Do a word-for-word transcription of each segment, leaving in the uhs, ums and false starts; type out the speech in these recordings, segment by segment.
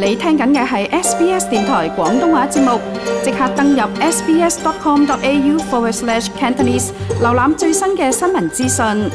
你聽緊嘅係 S B S 電台廣東話節目，即刻登入 sbs.com.au forward slash Cantonese， 瀏覽最新嘅新聞資訊。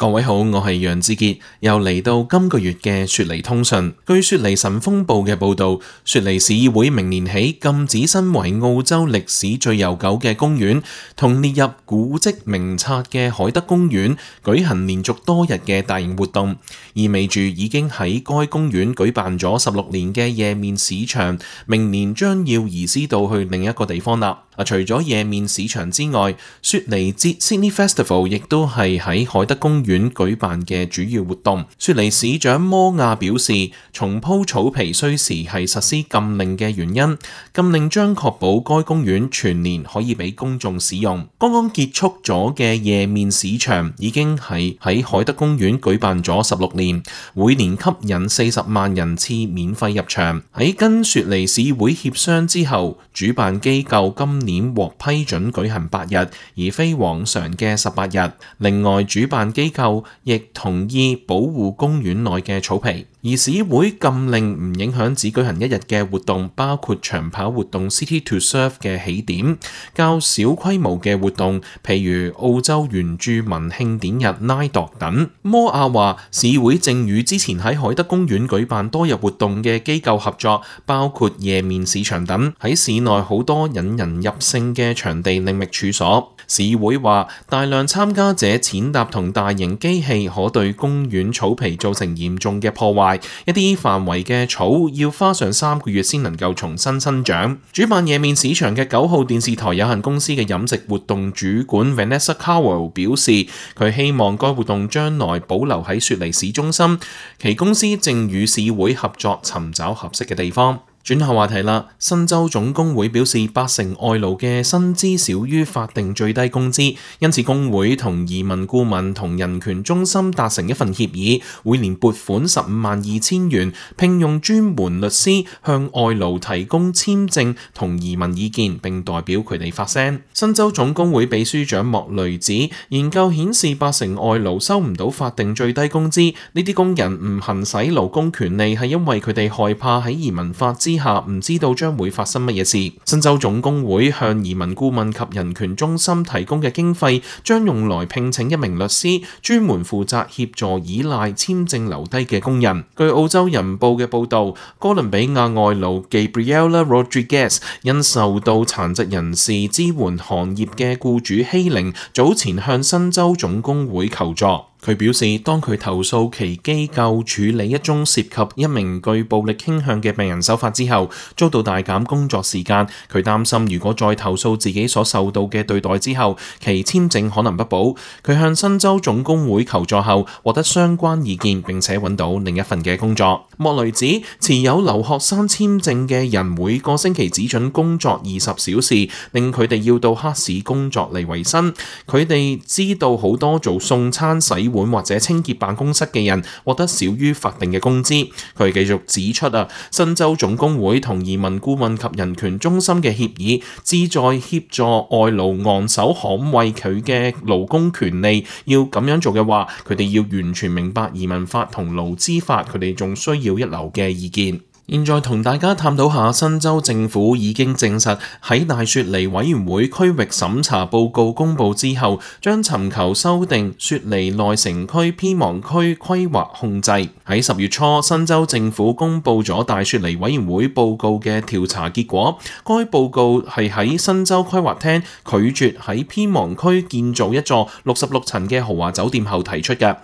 各位好，我係楊志傑，又嚟到今個月嘅雪梨通訊。據雪梨晨鋒報嘅報導，雪梨市議會明年起禁止身為澳洲歷史最悠久嘅公園同列入古蹟名冊嘅海德公園舉行連續多日嘅大型活動，意味住已經喺該公園舉辦咗十六年嘅夜面市場，明年將要移師到去另一個地方啦。除咗夜面市場之外，雪梨節 Sydney Festival 亦都係喺海德公園舉辦嘅主要活動。雪梨市長摩亞表示，重鋪草皮需時係實施禁令嘅原因，禁令將確保該公園全年可以俾公眾使用。剛剛結束咗嘅夜面市場已經係喺海德公園舉辦咗十六年，每年吸引四十萬人次免費入場。喺跟雪梨市會協商之後，主辦機構今年獲批准舉行八日，而非往常嘅十八日。另外，主辦機構亦同意保護公園內嘅草皮。而市會禁令唔影響只舉行一日嘅活動，包括長跑活動 City to Surf 嘅起點，較小規模嘅活動，譬如澳洲原住民慶典日 Nidog 等。摩亞話，市會正與之前喺海德公園舉辦多日活動嘅機構合作，包括夜面市場等，喺市內好多引人入勝嘅場地另覓處所。市會話，大量參加者踐踏同大型機器可對公園草皮造成嚴重嘅破壞，一啲範圍嘅草要花上三個月先能夠重新生長。主辦夜面市場嘅九號電視台有限公司嘅飲食活動主管 Vanessa Cowell 表示，佢希望該活動將來保留喺雪梨市中心，其公司正與市會合作尋找合適嘅地方。轉下話題啦，新州總工會表示八成外勞嘅薪資少於法定最低工資，因此工會同移民顧問同人權中心達成一份協議，每年撥款十五萬二千元，聘用專門律師向外勞提供簽證同移民意見，並代表佢哋發聲。新州總工會秘書長莫雷指，研究顯示八成外勞收唔到法定最低工資，呢啲工人唔行使勞工權利係因為佢哋害怕喺移民法之下唔知道將會發生乜嘢事。新州總工會向移民顧問及人權中心提供嘅經費將用來聘請一名律師，專門負責協助依賴簽證留低嘅工人。據澳洲人報嘅報導，哥倫比亞外勞 Gabriela Rodriguez 因受到殘疾人士支援行業嘅僱主欺凌，早前向新州總工會求助。佢表示，當佢投訴其機構處理一宗涉及一名具暴力傾向嘅病人手法之後，遭到大減工作時間。佢擔心如果再投訴自己所受到嘅對待之後，其簽證可能不保。佢向新州總工會求助後，獲得相關意見，並且揾到另一份嘅工作。莫雷指，持有留學生簽證嘅人每個星期只准工作二十小時，令佢哋要到黑市工作嚟維生。佢哋知道好多做送餐、洗碗或者清潔辦公室嘅人獲得少於法定嘅工資。佢繼續指出啊，新州總工會同移民顧問及人權中心嘅協議旨在協助外勞昂首捍衛佢嘅勞工權利。要咁樣做嘅話，佢哋要完全明白移民法同勞資法，佢哋仲需要一流嘅意見。現在同大家探討下，新州政府已經證實喺大雪梨委員會區域審查報告公佈之後，將尋求修訂雪梨內城區偏忙區規劃控制。喺十月初，新州政府公佈咗大雪梨委員會報告嘅調查結果。該報告係喺新州規劃廳拒絕喺偏忙區建造一座六十六層嘅豪華酒店後提出嘅。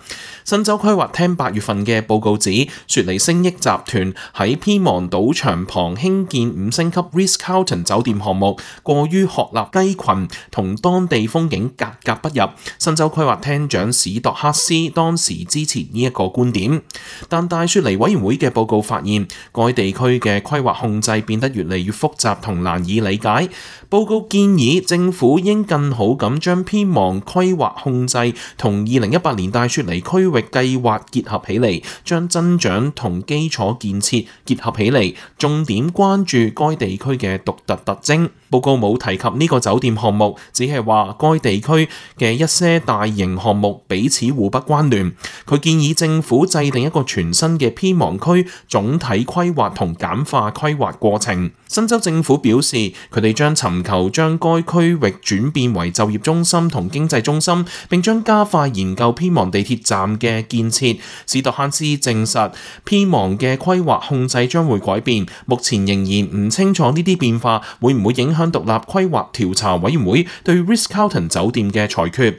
新州規劃廳八月份嘅報告指，雪梨星益集團喺偏忙賭場旁興建五星級 Ritz-Carlton 酒店項目，過於鶴立雞群，同當地風景格格不入。新州規劃廳長史度克斯當時支持呢一個觀點，但大雪梨委員會嘅報告發現，該地區嘅規劃控制變得越嚟越複雜同難以理解。報告建議政府應更好咁將偏忙規劃控制同二零一八年大雪梨區域計劃結合起嚟，將增長同基礎建設結合起嚟，重點關注該地區嘅獨特特徵。報報告冇提及呢個酒店項目，只係話該地區嘅一些大型項目彼此互不關聯。佢建議政府制定一個全新嘅偏亡區總體規劃同簡化規劃過程。新州政府表示，佢哋將尋求將該區域轉變為就業中心同經濟中心，並將加快研究偏亡地鐵站嘅建設。史特漢斯證實，偏亡嘅規劃控制將會改變，目前仍然唔清楚呢啲變化會唔會影響獨立規劃調查委員會對 Ritz-Carlton 酒店嘅裁決。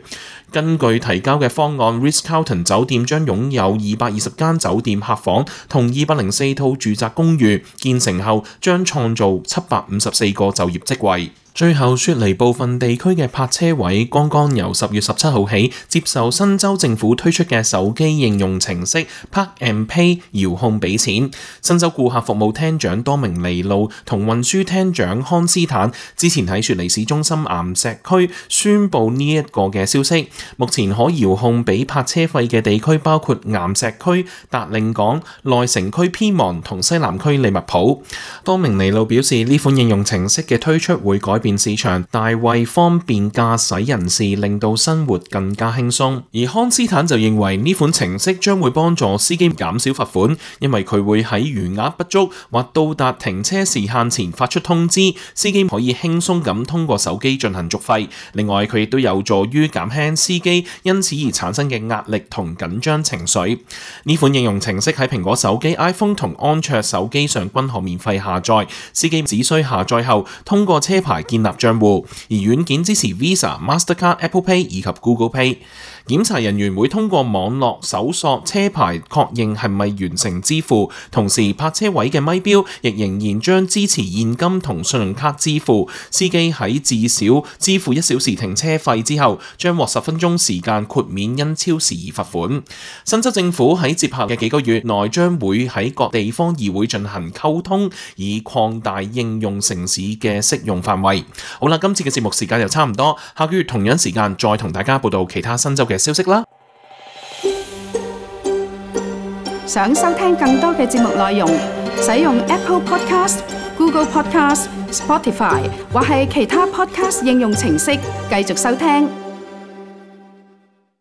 根據提交嘅方案 ，Ritz-Carlton 酒店將擁有二百二十間酒店客房同二百零四套住宅公寓，建成後將創造七百五十四個就業職位。最後，雪梨部分地區嘅泊車位剛剛由十月十七號起接受新州政府推出嘅手機應用程式 Park and Pay 遙控俾錢。新州顧客服務廳長多明尼路同運輸廳長康斯坦之前喺雪梨市中心岩石區宣布呢一個嘅消息。目前可遙控俾泊車費嘅地區包括岩石區、達令港、內城區偏亡同西南區利物浦。多明尼路表示，呢款應用程式嘅推出會改變市場，大為方便駕駛人士，令到生活更加輕鬆。而康斯坦就認為呢款程式將會幫助司機減少罰款，因為佢會喺餘額不足或到達停車時限前發出通知，司機可以輕鬆咁通過手機進行續費。另外，佢亦都有助於減輕司機因此而產生嘅壓力同緊張情緒。呢款應用程式喺蘋果手機、iPhone 同安卓手機上均可免費下載，司機只需下載後通過車牌建立賬戶，而軟件支持 Visa、Mastercard、Apple Pay 以及 Google Pay。檢查人員會通過網絡搜索車牌確認係咪完成支付，同時泊車位嘅咪標亦仍然將支持現金同信用卡支付。司機喺至少支付一小時停車費之後，將獲十分鐘時間豁免因超時而罰款。新州政府喺接下嘅幾個月內將會喺各地方議會進行溝通，以擴大應用城市嘅適用範圍。好啦，今次嘅節目時間又差唔多，下個月同樣時間再同大家報道其他新州嘅消息啦。想收聽更多嘅節目內容，使用 Apple Podcast、Google Podcast、Spotify 或係其他 Podcast 應用程式繼續收聽。